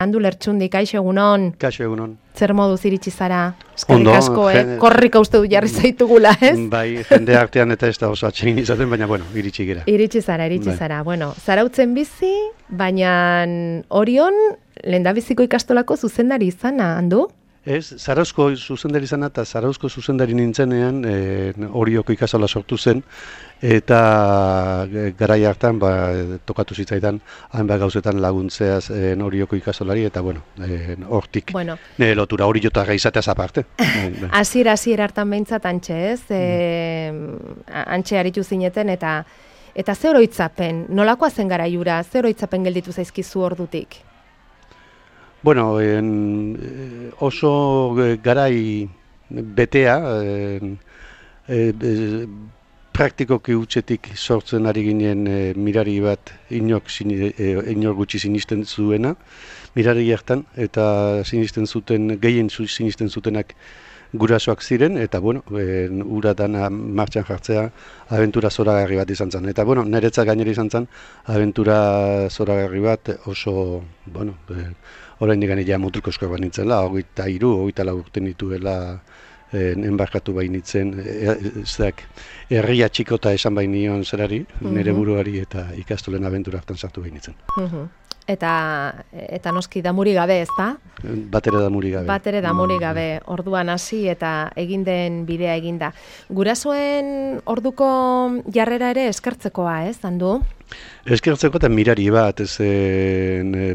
Andu Lertxundi, kaixo egunon. Kaixo egunon. Zer moduz iritsi zara? Eskerrik asko, korrika uste du jarri zaitugula, ez? Bai, jende artean eta ez da oso atsegin izaten, baina bueno, iritsi gira. Iritsi zara. Bueno, Zarautzen bizi, baina Orion lehendabiziko ikastolako zuzendari izana, Andu? Ez, Zarauzko zuzendari izana eta Zarauzko zuzendari nintzenean Orioko ikastola sortu zen, eta garai hartan tokatu zitzaidan hainbat gauzetan laguntzeaz Orioko ikastolari, eta bueno, hortik nire lotura Oriotarra izateaz aparte. Hasiera hartan behintzat antxe, ez? Antxe aritu zineten, eta ze oroitzapen, nolakoa zen garaiura, ze oroitzapen gelditu zaizkizu ordutik? Bueno, oso garai betea, praktikoki hutsetik sortzen ari ginen mirari bat inor gutxi sinisten zuena, mirari hartan, eta gehien sinisten zutenak gurasoak ziren, eta bueno, ura dana martxan jartzea abentura zoragarri bat izan zen. Eta bueno, niretzat gainera izan zen abentura zoragarri bat oso, bueno, oraindik ja mutriko eskoak bat nintzela, 23 urte nituela enbarkatu bainitzen, herria txikota esan bainion zerari, nire buruari eta ikastolen abentura hartan sartu bainitzen. Eta noski damuri gabe, ez da? Batere damuri gabe. Orduan hasi eta egin den bidea eginda. Gurasoen orduko jarrera ere eskertzekoa, ez, Andu? Eskertzeko eta mirari bat,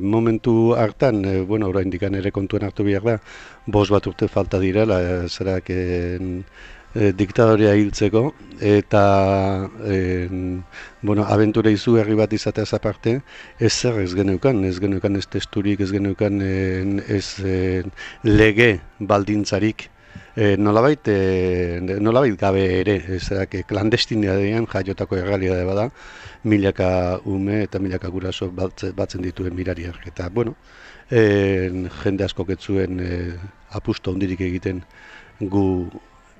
momentu hartan, bueno, oraindik ere kontuen hartu behar da, 5 urte falta direla, zerak diktadorea hiltzeko, eta bueno, abentura izugarri bat izateaz aparte, ez geneukan ez testurik, ez geneukan ez lege baldintzarik, nolabait gabe ere, klandestinadean jaiotako errealidade bada, milaka ume eta milaka guraso batzen dituen mirariak. Eta, bueno, jende askok ez zuen apustu handirik egiten gu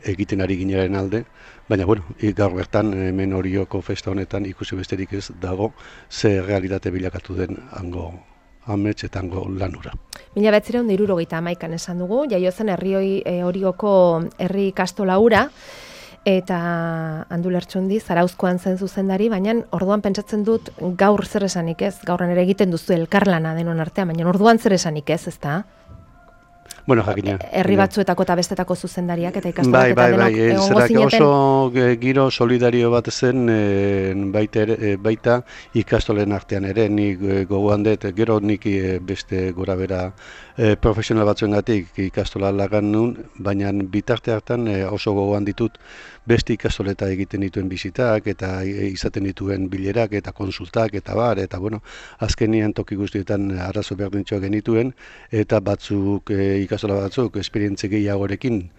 egiten ari ginaren alde, baina, bueno, gaur bertan, hemen Orioko festa honetan ikusi besterik ez dago ze realitate bilakatu den hango amets eta hango lanura. 1971an esan dugu, jaio zen Orioko herri ikastola hura, eta Andu Lertxundi Zarauzkoan zen zuzendari, baina orduan pentsatzen dut gaur zer esanik ez, gaurren ere egiten duzu elkarlana denon artean, baina orduan zer esanik ez, ezta? Bueno, jakina. Herri batzuetako eta bestetako zuzendariak eta ikastolak eta denok egongo zineten. Oso giro solidario bat zen baita ikastolen artean ere, nik gogoan dut, gero nik beste gora bera profesional batzuengatik ikastola lagan nun, baina bitarte hartan oso gogoan ditut beste ikastoleta egiten dituen bizitak eta izaten dituen bilerak eta konsultak eta bar, eta bueno, azkenian toki guztietan arazo berdintxoak genituen, eta ikastola batzuk esperientzia gehiagorekin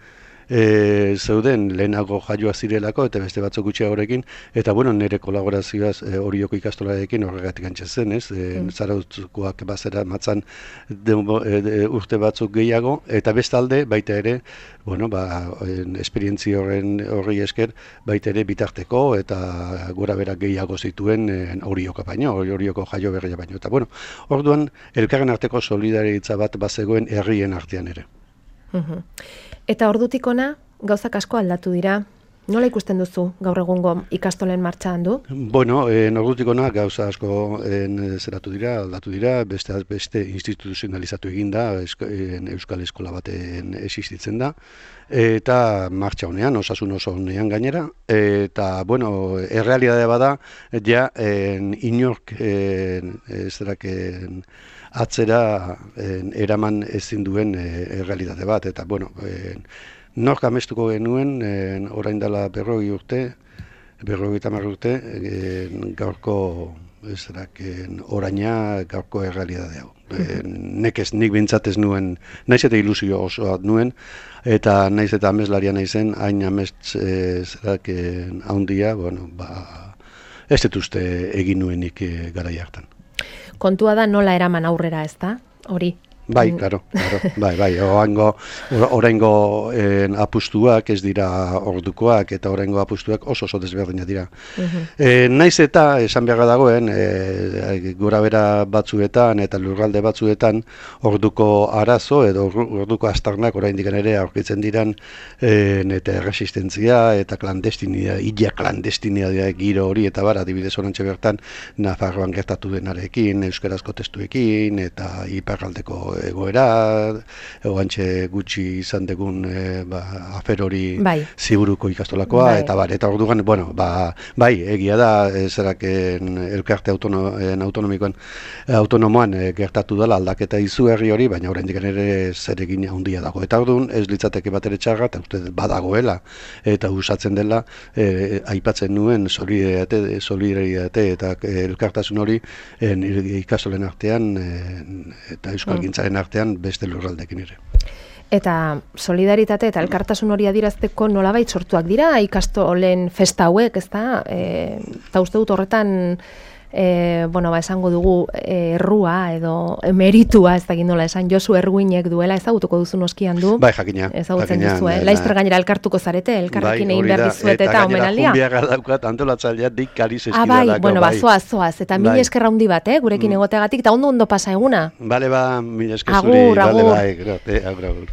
zeuden lehenago jaioa zirelako eta beste batzuk gutxiagorekin, eta bueno, nire kolaborazioaz Orioko ikastolarekin horregatik antxe zen, ez? Zarauzkoak bazera matzan urte batzuk gehiago, eta bestalde baita ere, bueno, esperientzia horri esker, baita ere bitarteko eta gora bera gehiago zituen Orioka baino, Orioko jaio berria baino. Eta bueno, orduan elkarren arteko solidaritza bat bazegoen herrien artean ere. Eta ordutik ona gauzak asko aldatu dira. Nola ikusten duzu gaur egungo ikastolen martxa, Andu? Bueno, ordutik ona gauza asko aldatu dira, beste instituzionalizatu eginda, Euskal Eskola baten existitzen da, eta martxa honean, osasun oso honean gainera, eta, bueno, errealidade bada, ja, inork atzera eraman ezin duen errealitate bat, eta, bueno, nork amestuko genuen, orain dela 50 urte, 50 urte, gaurko oraina gaurko errealitate hau. Nik bintzat ez nuen, naiz eta ilusio osoa nuen, eta naiz eta ameslaria naizen, hain amets handia, bueno, ez dut uste egin nuenik garai hartan. Kontua da nola eraman aurrera, ez da? Hori. Bai, claro, bai, oraingo apustuak ez dira ordukoak eta oraingo apustuak oso desberdinak dira. Naiz eta esan beharra dagoen, gora bera batzuetan eta lurralde batzuetan orduko arazo edo orduko astarnak oraindik ere aurkitzen diran eta resistentzia eta klandestinidadea giro hori eta bar, adibidez orantxe bertan Nafarroan gertatu denarekin, euskarazko testuekin eta iparraldeko egoera, oantxe gutxi izan degun afer hori Ziburuko ikastolakoa, eta orduan, bai, egia da, zeraken elkarte autonomoan gertatu dela aldaketa izugarri hori, baina oraindik ere zeregin handia dago. Eta orduan, ez litzateke bat ere txarra, eta uste badagoela, eta usatzen dela, aipatzen nuen solidaritate eta elkartasun hori ikastolen artean eta euskalgintzaren artean beste lurraldekin ere. Eta solidaritate eta elkartasun hori adierazteko nolabait sortuak dira ikastolen festa hauek, ezta? Eta uste dut horretan esango dugu errua edo meritua, ez dakit nola esan, Josu Erguinek duela, ezagutuko duzu noskian du. Bai, jakina. Ezagutzen duzu, Laizter gainera elkartuko zarete, elkarrekin egin behar dizuet eta omenaldia. Eta gainera daukat antolatzaileak dik kariz eskidalako. Bai, zoaz, eta mila esker handi bat, gurekin egoteagatik, eta ondo pasa eguna. Bale, mila esker zuri. Agur. Agur.